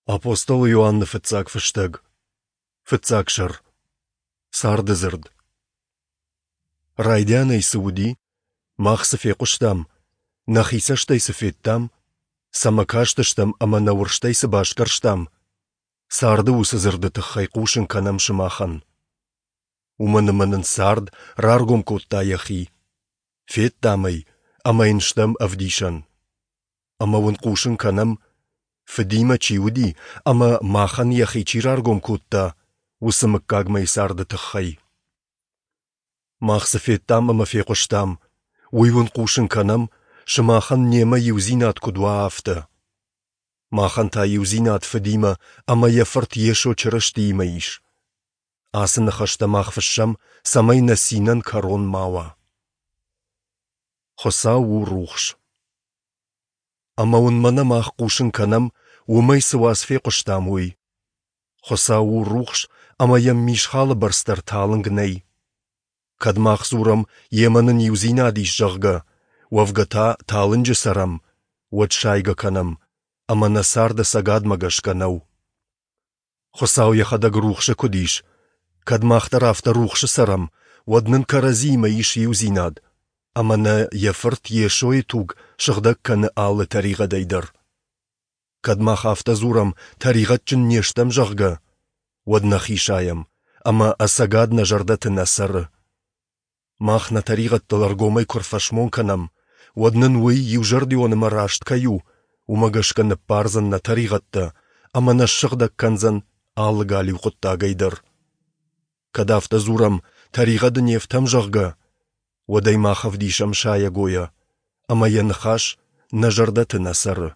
Апостол Иоанны фыццаг фыстӕг. Фыццаг сӕр. Царды дзырд. Райдианӕй цы уыди, мах цы фехъуыстам, нӕхи цӕстӕй цы федтам, цӕмӕ кастыстӕм ӕмӕ нӕ уырзтӕй цы басгӕрстам, царды уыцы дзырды тыххӕй хъусын кӕнӕм сымахӕн. Уымӕн ӕмӕ нын цард раргом кодта йӕхи. Федтам ӕй ӕмӕ йын стӕм ӕвдисӕн. Ӕмӕ уын хъусын кӕнӕм, Фыдимӕ чи уыди ӕмӕ махӕн йӕхи чи раргом кодта, уыцы мыггагмӕйы царды тыххӕй. Мах цы федтам ӕмӕ фехъуыстам, уый уын хъусын кӕнӕм, сымахӕн немӕ иудзинад куыд уа, афтӕ. Махӕн та иудзинад Фыдимӕ ӕмӕ йӕ Фырт Йесо Чырыстиимӕ ис. Ацы ныхӕстӕ мах фыссӕм, цӕмӕй нӕ цинӕн кӕрон ма уа. Хуыцау у рухс. Ӕмӕ уын мӕнӕ мах хъусын кӕнӕм, уымӕй цы уац фехъуыстам, уый. Хуыцау у рухс, ӕмӕ йӕм мисхалы бӕрц дӕр талынг нӕй. Кӕд мах дзурӕм, йемӕ нын иудзинад ис, зӕгъгӕ, уӕвгӕ та талынджы цӕрӕм, уӕд сайгӕ кӕнӕм, ӕмӕ нӕ цард ӕцӕгадмӕ гӕсгӕ нӕу. Хуыцау йӕхӕдӕг рухсы куыд ис, кӕд мах дӕр афтӕ рухсы цӕрӕм, уӕд нын кӕрӕдзиимӕ ис иудзинад, ӕмӕ нӕ йӕ Фырт Йесойы туг сыгъдӕг кӕны алы тӕригъӕдӕй дӕр. Кӕд мах афтӕ дзурӕм, тӕригъӕдджын не стӕм, зӕгъгӕ, уӕд нӕхи сайӕм, ӕмӕ ӕцӕгад нӕ зӕрдӕты нӕ цӕры. Мах нӕ тӕригъӕдтыл ӕргомӕй куы рфӕсмон кӕнӕм, уӕд нын уый иузӕрдион ӕмӕ раст кӕй у, уымӕ гӕсгӕ ныббардзӕн нӕ тӕригъӕдтӕ ӕмӕ нӕ ссыгъдӕг кӕндзӕн алы галиу хъуыддагӕй дӕр. Кӕд афтӕ дзурӕм, тӕригъӕды не фтӕм, зӕгъгӕ, уӕд ӕй мах ӕвдисӕм сайӕгойӕ, ӕмӕ йӕ ныхас нӕ зӕрдӕты нӕ цӕры.